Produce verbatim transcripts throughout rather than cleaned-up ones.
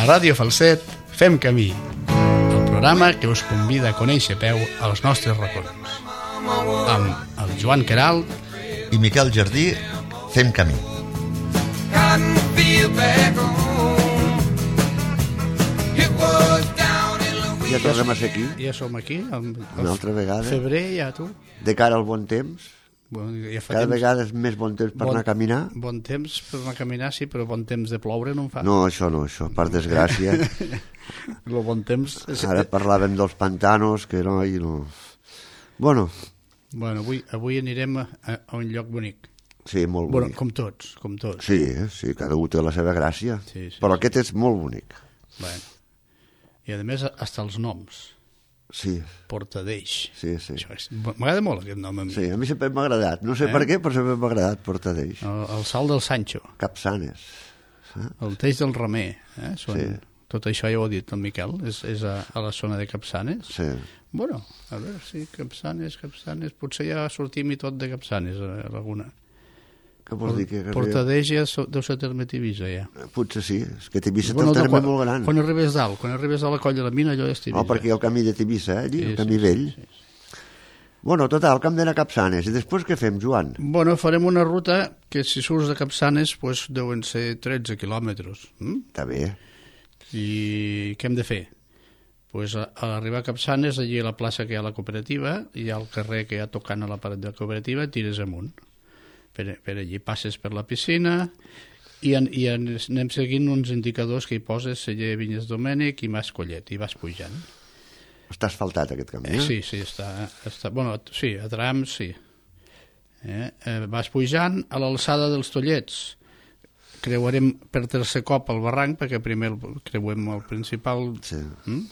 Ràdio Falset fem camí, el programa que us convida a conèixer a peu els nostres racons. Amb el Joan Queralt i Miquel Jardí fem camí. Ja tornem a ser aquí. Ja som aquí. Una altra vegada. Febrer, ja tu. De cara al bon temps. Bueno, ja Cada temps, vegada és més bon temps per bon, anar a caminar. Bon temps per anar a caminar, sí, però bon temps de ploure no en fa. No, això no, això, per desgràcia. El bon temps... És... Ara parlàvem dels pantanos, que no... I no... Bueno. Bueno, avui, avui anirem a, a un lloc bonic. Sí, molt bueno, bonic. Com tots, com tots. Sí, sí, cada un té la seva gràcia. Sí, sí, però sí. Aquest és molt bonic. Bueno. I a més, hasta els noms. Sí. Portadeix. Sí, sí. M'agrada molt aquest nom a mi. Sí, a mi sempre m'ha agradat. No sé eh? per què, però sempre m'ha agradat Portadeix. El, el salt del Sancho. Capçanes. Eh? El teix del Remer. Eh? Són... Sí. Tot això ja ho ha dit el Miquel. És, és a, a la zona de Capçanes. Sí. Bueno, a veure, sí, Capçanes, Capçanes... Potser ja sortim i tot de Capçanes, a alguna. Què vols dir? Que Portadeix ja deu ser terme Tivissa, ja. Potser sí, és que Tivissa bueno, té un terme quan, molt gran. Quan arribes dalt, quan arribes a la colla de la mina, allò és Tivissa. No, perquè hi ha el camí de Tivissa, eh, allí, sí, el camí sí, vell. Sí, sí. Bueno, total, que hem d'anar a Capçanes. I després què fem, Joan? Bueno, farem una ruta que si surts de Capçanes pues, deuen ser tretze quilòmetres. Mm? Està bé. I què hem de fer? Pues a, a l'arribar a Capçanes, allí a la plaça que hi ha la cooperativa, hi ha el carrer que hi ha tocant a la paret de la cooperativa, tires amunt. Per, per allí passes per la piscina i, en, i en, anem seguint uns indicadors que hi poses Celler Vinyes Domènec i Mas Collet, i vas pujant. Està asfaltat aquest camí, eh? eh sí, sí, està, està... Bueno, sí, a trams, sí. Eh? Eh, vas pujant a l'alçada dels Tollets. Creuarem per tercer cop el barranc, perquè primer el, creuem el principal... Sí. Mm?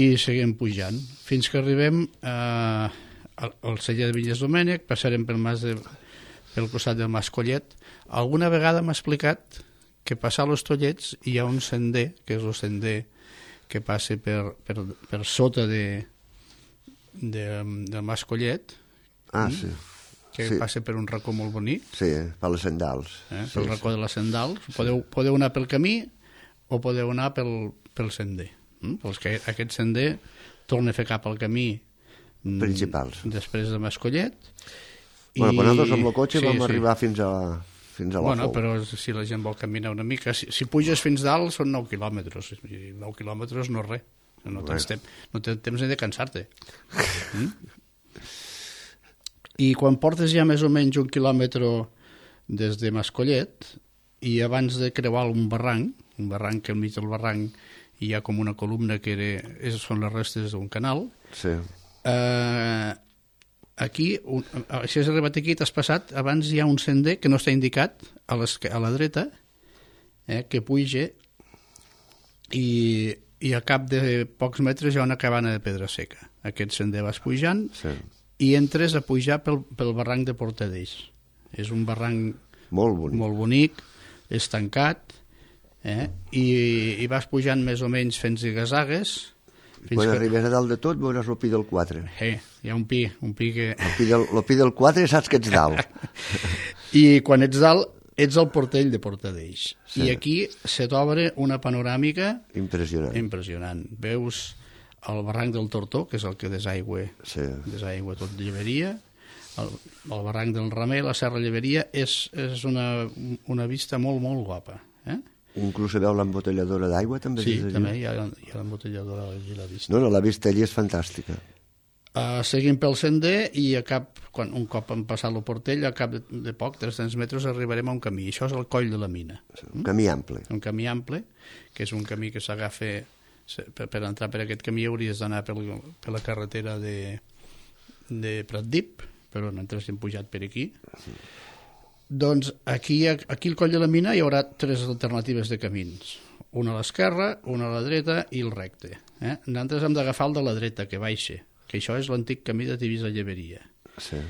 I seguim pujant, fins que arribem a, al Celler de Vinyes Domènec, passarem pel mas de... pel costat del Mas Collet. Alguna vegada m'ha explicat que passar als Tollets hi ha un sender, que és el sender que passa per, per, per sota de, de, del Mas Collet, ah, sí. que sí. passa per un racó molt bonic. Sí, per les Sendals. Eh? Sí, pel racó sí. de les Sendals. Sí. Podeu, podeu anar pel camí o podeu anar pel, pel sender. Mm? Pels que aquest sender torna a fer cap al camí principals. Després de Mas Collet. Bueno, quan nosaltres amb el cotxe sí, vam sí. arribar fins a, fins a la bueno, Fou. Però si la gent vol caminar una mica... Si, si puges fins dalt són nou quilòmetres. I nou quilòmetres no és res. No tens, temps, no tens temps ni de cansar-te. Mm? I quan portes ja més o menys un quilòmetre des de Mascollet i abans de creuar un barranc, un barranc que al mig del barranc hi ha com una columna que era, són les restes d'un canal, sí. eh, aquí, un, si has arribat aquí, t'has passat, abans hi ha un sender que no està indicat a, a la dreta, eh, que puja i, i a cap de pocs metres hi ha una cabana de pedra seca. Aquest sender vas pujant sí. i entres a pujar pel, pel barranc de Portadeix. És un barranc molt bonic, molt bonic és tancat, eh, i, i vas pujant més o menys fent zigazagues. Quan que... arribes a dalt de tot veuràs el pi del quatre. Eh, hi ha un pi, un pi que... El pi del, el pi del quatre saps que ets dalt. I quan ets dalt, ets al portell de Portadeix. Sí. I aquí se t'obre una panoràmica impressionant. impressionant. Veus el barranc del Tortó, que és el que desaigua, sí. desaigua tot Lleberia, el, el barranc del Remer, la Serra Lleberia, és, és una, una vista molt, molt guapa. Eh? Inclús se veu l'embotelladora d'aigua, també? Sí, també hi ha, hi ha l'embotelladora i la vista. No, no, la vista allí és fantàstica. Uh, seguim pel sender i a cap, quan, un cop hem passat el portell, a cap de, de poc, tres-cents metres, arribarem a un camí. Això és el coll de la mina. Un camí ample. Un camí ample, que és un camí que s'agafa... Per, per entrar per aquest camí hauries d'anar per, per la carretera de, de Pratdip, però nosaltres hem pujat per aquí. Sí. Doncs aquí, aquí al coll de la mina hi haurà tres alternatives de camins. Una a l'esquerra, una a la dreta i el recte. Eh? Nosaltres hem d'agafar el de la dreta, que baixa, que això és l'antic camí de Tivissa-Lleberia. Sí.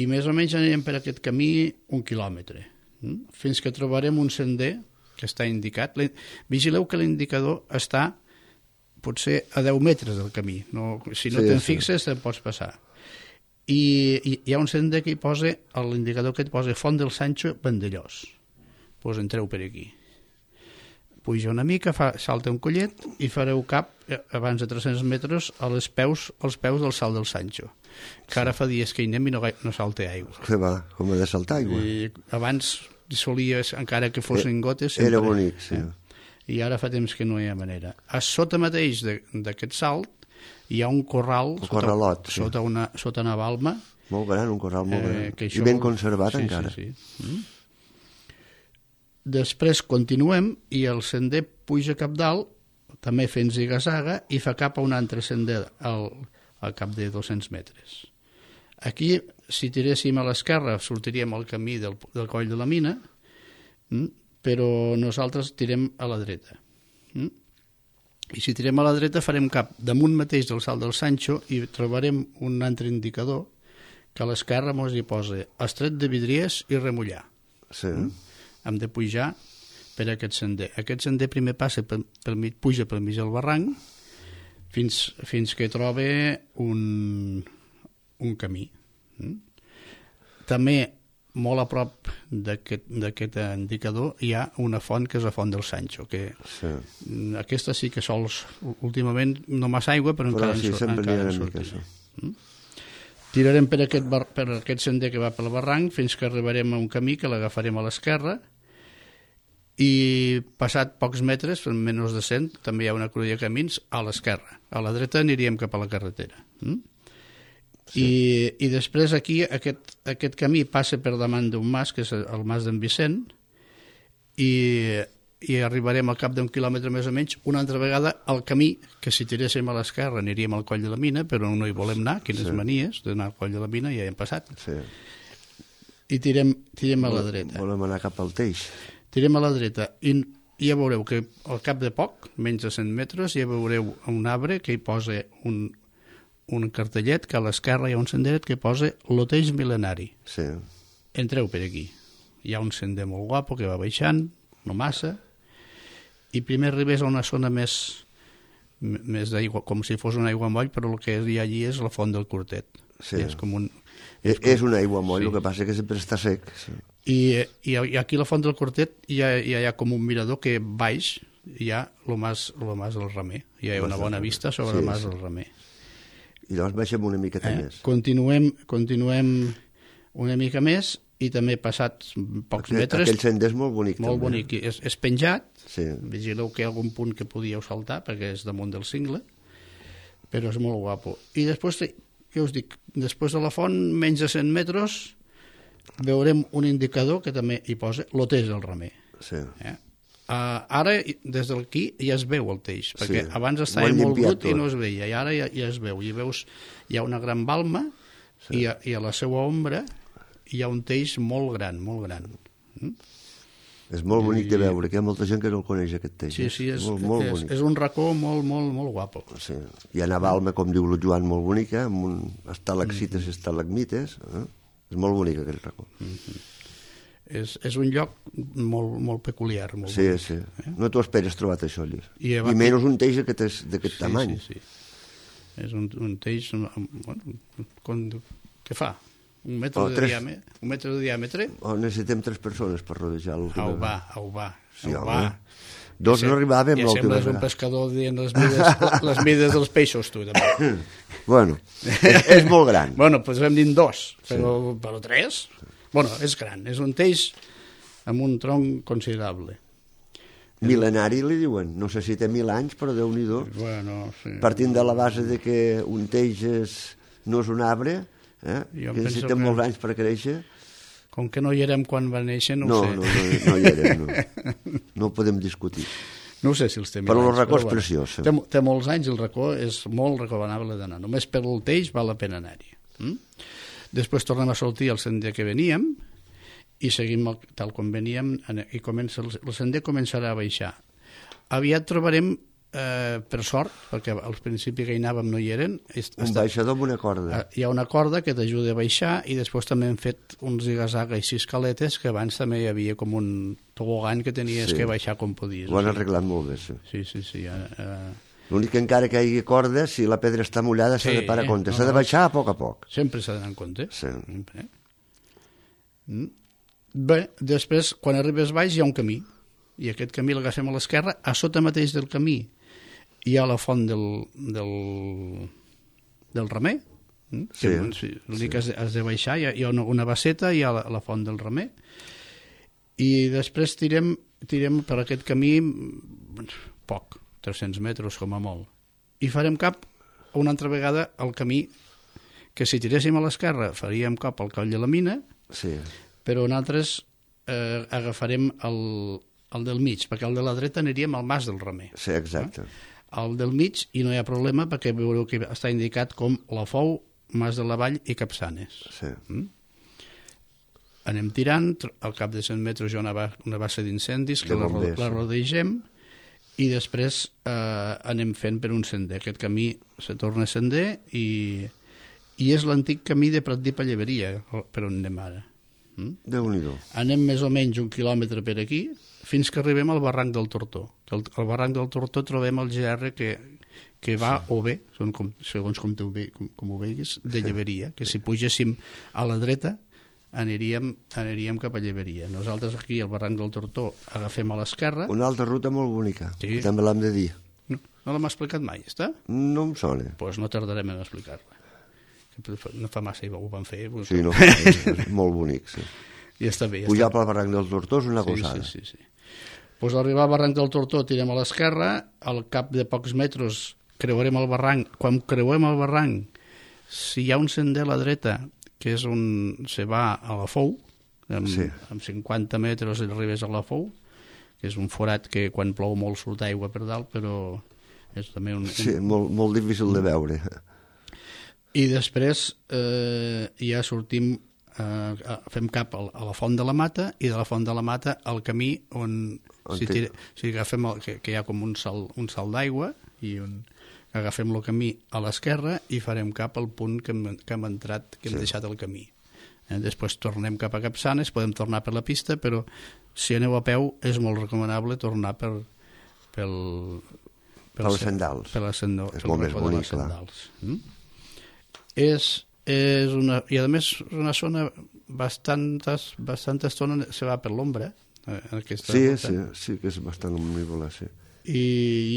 I més o menys anirem per aquest camí un quilòmetre, eh? Fins que trobarem un sender que està indicat. Vigileu que l'indicador està potser a deu metres del camí. No, si no sí, te'n sí. fixes, te'n pots passar. I, I hi ha un sender que hi posa, l'indicador que et posa Font del Sancho, Vandellós. Pues entreu per aquí. puja una mica, fa, salta un collet i fareu cap, eh, abans de tres-cents metres, a les peus, als peus del salt del Sancho, que ara fa dies que hi anem i no, no salta aigua. Que va, com ha de saltar aigua. I abans solia, encara que fossin gotes... Sempre, Era bonic, sí. Eh? I ara fa temps que no hi ha manera. A sota mateix d'aquest salt hi ha un corral, un sota, corralot, sí. sota, una, sota una balma. Molt gran, un corral molt gran. Eh, I ben conservat sí, encara. Sí, sí. Mm? Després continuem i el sender puja cap dalt, també fent ziga-zaga, i fa cap a un altre sender al, al cap de dos-cents metres. Aquí, si tiréssim a l'esquerra, sortiríem al camí del, del coll de la mina, mm? però nosaltres tirem a la dreta. Mm? I si tirem a la dreta farem cap damunt mateix del salt del Sancho i trobarem un altre indicador que a l'esquerra ens hi posa Estret de Vidriers i Remullar. Sí. Mm? Hem de pujar per aquest sender. Aquest sender primer passa per, per mig, puja pel mig del barranc fins, fins que troba un, un camí. Mm? També, molt a prop d'aquest indicador, hi ha una font que és la font del Sancho, que sí. Aquesta sí que sols, últimament, no massa aigua, però, però encara, sí, en, encara en sortirà. Mm? Tirarem per aquest, bar, per aquest sender que va pel barranc fins que arribarem a un camí que l'agafarem a l'esquerra i passat pocs metres, en menys de cent, també hi ha una cruïlla de camins a l'esquerra. A la dreta aniríem cap a la carretera. Mm? Sí. I, I després aquí aquest, aquest camí passa per davant d'un mas, que és el mas d'en Vicent, i, i arribarem al cap d'un quilòmetre més o menys una altra vegada al camí, que si tiréssim a l'esquerra aniríem al coll de la mina, però no hi volem anar, quines sí. manies d'anar al coll de la mina, ja hi hem passat. Sí. I tirem, tirem a la dreta. Volem anar cap al Teix. Tirem a la dreta i ja veureu que al cap de poc, menys de cent metres, ja veureu un arbre que hi posa un, un cartellet, que a l'esquerra hi ha un senderet que posa Loteix Mil·lenari. Sí. Entreu per aquí. Hi ha un sender molt guapo que va baixant, no massa, i primer arribes a una zona més, més d'aigua, com si fos una aigua moll, però el que hi ha allí és la font del Cortet. Sí. És com un... És, com... és una aigua moll, sí. El que passa que sempre està sec. Sí. I, i, i aquí a la font del Cortet hi ha, hi ha com un mirador que baix hi ha el mas, el mas del Remer. Hi ha una bona vista sobre sí, el mas sí. del Remer. I llavors baixem una miqueta eh? més. Continuem, continuem una mica més i també passats pocs aquell, metres... Aquell sender és molt bonic. Molt també. bonic. És, és penjat. Sí. Vigileu que hi ha algun punt que podíeu saltar perquè és damunt del cingle, però és molt guapo. I després, què us dic, després de la font, menys de cent metres, veurem un indicador que també hi posa Loteix del Remer. Sí. Eh? Uh, ara, des d'aquí, ja es veu el teix, perquè sí. abans estava molt brut tot. I no es veia, i ara ja, ja es veu. I veus, hi ha una gran balma sí. i, a, i a la seva ombra hi ha un teix molt gran, molt gran. Mm? És molt bonic I... de veure, que hi ha molta gent que no el coneix, aquest teix. Sí, sí, és, molt, molt és, és un racó molt, molt, molt guapo. Sí. Hi ha una balma, com diu el Joan, molt bonica, amb un estalaccites mm. i estalagmites. Eh? És molt bonic aquell racó. Mm-hmm. És, és un lloc molt, molt peculiar. Molt sí, bonic, sí. Eh? No t'ho esperes trobat això allí. I, I menys un teix d'aquest sí, tamany. Sí, sí. És un, un teix... Bueno, com, què fa? Un metre, oh, de tres... diàmetre, un metre de diàmetre? Oh, necessitem tres persones per rodejar-lo. Au va, au va. Sí, au va. Dos no arribàvem. Ja sembles un pescador dient les mides, les mides dels peixos, tu, també. Bueno, és, és molt gran. Bueno, doncs hem dit dos, però, sí. però tres? Bueno, és gran, és un teix amb un tronc considerable. Mil·lenari li diuen, no sé si té mil anys, però Déu-n'hi-do. Bueno, sí. Partint de la base de que un teix és, no és un arbre, eh? que necessitem molts anys per créixer. Com que no hi érem quan va néixer, no, no ho sé. No, no, no hi érem, no. No ho podem discutir. No sé si els té mil però anys. Però el racó és bueno, preciós. Té, té molts anys, el racó és molt recomanable d'anar. Només per el teix val la pena anar-hi. Mm? Després tornem a sortir al sender que veníem i seguim el, tal com veníem i comença, el sender començarà a baixar. Aviat trobarem, eh, per sort, perquè al principi que hi anàvem no hi eren... Un baixador amb una corda. Hi ha una corda que t'ajuda a baixar i després també hem fet uns ziga-zaga i sis caletes que abans també hi havia com un tobogan que tenies sí. que baixar com podies. Ho han arreglat molt bé, sí. Sí, sí, sí. Eh, L'únic que encara que hi hagi corda, si la pedra està mullada s'ha sí, de parar a compte. S'ha no, de baixar a poc a poc. Sempre s'ha d'anar en compte. Sí. Sempre. Bé, després, quan arribes baix, hi ha un camí. i aquest camí l'agafem a l'esquerra. A sota mateix del camí hi ha la font del, del, del Remer. Sí, sí, l'únic que has, has de baixar, hi ha, hi ha una, una basseta, hi ha la, la font del Remer, i després tirem, tirem per aquest camí poc, tres-cents metres com a molt, i farem cap una altra vegada al camí que si tiréssim a l'esquerra faríem cap al Coll de la Mina, sí. Però nosaltres eh, agafarem el, el del mig, perquè el de la dreta aniríem al Mas del Remer. Sí, exacte. Eh? El del mig, i no hi ha problema, perquè veureu que està indicat com la Fou, Mas de la Vall i Capçanes. Sí. Mm? Anem tirant, al cap de cent metres hi ha una, una bassa d'incendis que la, la rodegem, i després eh, anem fent per un sender. Aquest camí se torna sender i, i és l'antic camí de Pratdip a Lleberia, per on anem ara. Mm? Déu-n'hi-do. Anem més o menys un quilòmetre per aquí fins que arribem al barranc del Tortó. Al, al barranc del Tortó trobem el G R que, que va sí. o bé, són com, segons com, tu, com, com ho veiguis, de Lleberia, que si pugéssim a la dreta aniríem, aniríem cap a Lleberia. Nosaltres aquí al barranc del Tortó agafem a l'esquerra. Una altra ruta molt bonica, sí. també l'hem de dir. No, no l'hem explicat mai, està? No em sona. Doncs pues no tardarem en explicar-la. No fa massa ho van fer. Pues... Sí, no, és molt bonic, sí. I està bé. Ja pujar està... pel barranc del Tortó és una sí, gosada. Sí, sí, sí. Pues al arribar al barranc del Tortó tirem a l'esquerra, al cap de pocs metres creuarem el barranc. Quan creuem el barranc, si hi ha un sender a la dreta, que és on se va a la Fou, amb, sí. amb cinquanta metres arribes a la Fou, que és un forat que quan plou molt surt aigua per dalt, però és també un... un... Sí, molt, molt difícil de veure. I després eh, ja sortim, eh, fem cap a la Font de la Mata, i de la Font de la Mata al camí on, on si, tira, si agafem el, que, que hi ha com un salt, un salt d'aigua, i on agafem el camí a l'esquerra i farem cap al punt que hem, que hem entrat, que hem sí. deixat el camí. Eh, després tornem cap a Capçanes, podem tornar per la pista, però si aneu a peu és molt recomanable tornar per, pel, per les sendals. Per les sendals. És molt més bonic, clar. Mm? És, és una, i a més una zona bastantes, bastanta estona se va per l'ombra. Eh, sí, sí, sí, que és bastant omnívola, sí. I,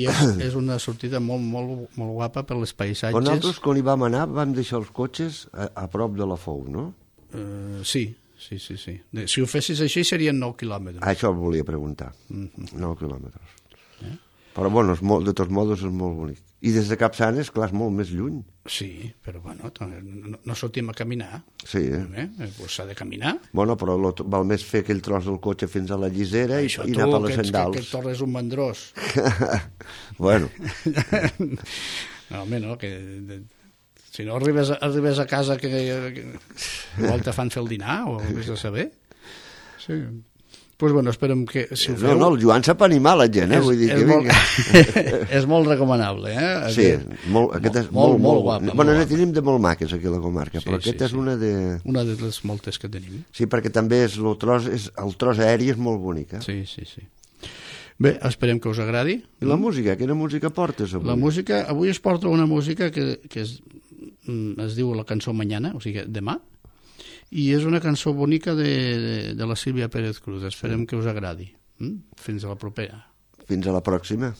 i és, és una sortida molt, molt, molt guapa per les paisatges. Però nosaltres, quan hi vam anar, vam deixar els cotxes a, a prop de la Fou, no? Uh, sí, sí, sí, sí. Si ho fessis així serien nou quilòmetres. Això el volia preguntar, mm-hmm. nou quilòmetres. Eh? Però, bueno, és molt, de tots modos és molt bonic. I des de Capçanes, clar, és molt més lluny. Sí, però, bueno, no, no sortim a caminar. Sí. Eh? Pues s'ha de caminar. Bueno, però lo, val més fer aquell tros del cotxe fins a la llisera i, i anar per les sendals. Que, que torres un mandrós. Bueno. No, home, no, que... De, si no arribes, arribes a casa que, que igual te fan fer el dinar o vés a saber. Sí. Pues bueno, esperem que... Si ho feu... No, no, el Joan sap animar la gent, eh? És, Vull dir és, que molt, és molt recomanable, eh? Sí, molt, aquest és molt, molt, molt guapa. Bueno, molt ne tenim de molt maques aquí a la comarca, sí, però sí, aquesta sí. és una de... Una de les moltes que tenim. Sí, perquè també és, el, tros, és, el tros aeri és molt bonic, eh? Sí, sí, sí. Bé, esperem que us agradi. I la música? Quina música portes avui? La música, avui es porta una música que, que es, es diu La cançó Mañana, o sigui, demà, i és una cançó bonica de, de, de la Sílvia Pérez Cruz. Esperem sí. que us agradi. Fins a la propera. Fins a la pròxima.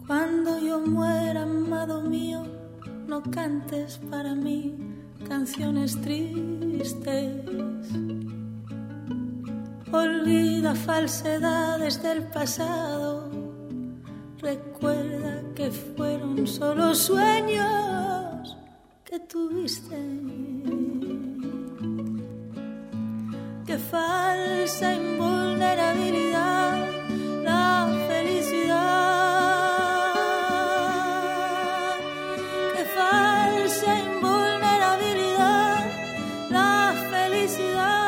Cuando yo muera, amado mío, no cantes para mí canciones tristes. Olvida falsedades del pasado. Recuerda que fueron solo sueños que tuviste. Qué falsa invulnerabilidad la felicidad. Qué falsa invulnerabilidad la felicidad.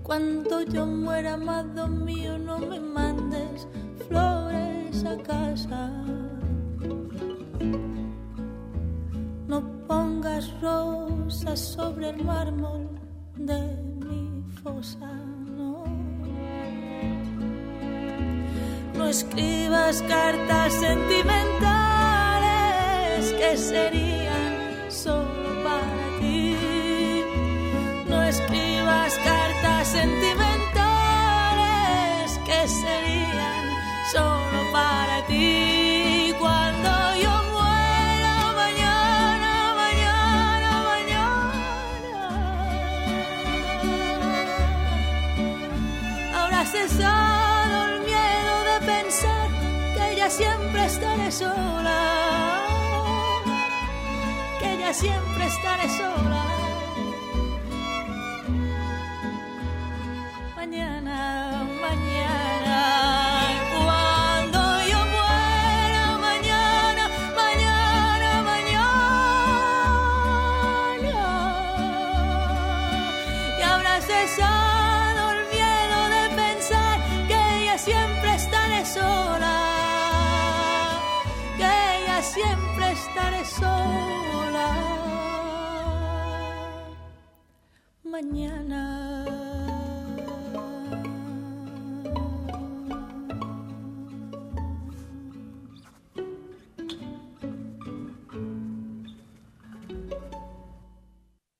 Cuando yo muera, amado mío, no me mandes flores a casa. No pongas hojas rosas sobre el mármol de mi fosa. No, no escribas cartas sentimentales que serían solo para ti. No escribas cartas sentimentales que serían solo para ti. Cuando yo muera mañana, mañana, mañana, habrá cesado el miedo de pensar que ya siempre estaré sola, que ya siempre estaré sola. Mañana, mañana, cuando yo muera, mañana, mañana, mañana, y habrá cesado el miedo de pensar que ya siempre estaré sola, que ya siempre estaré sola. Mañana.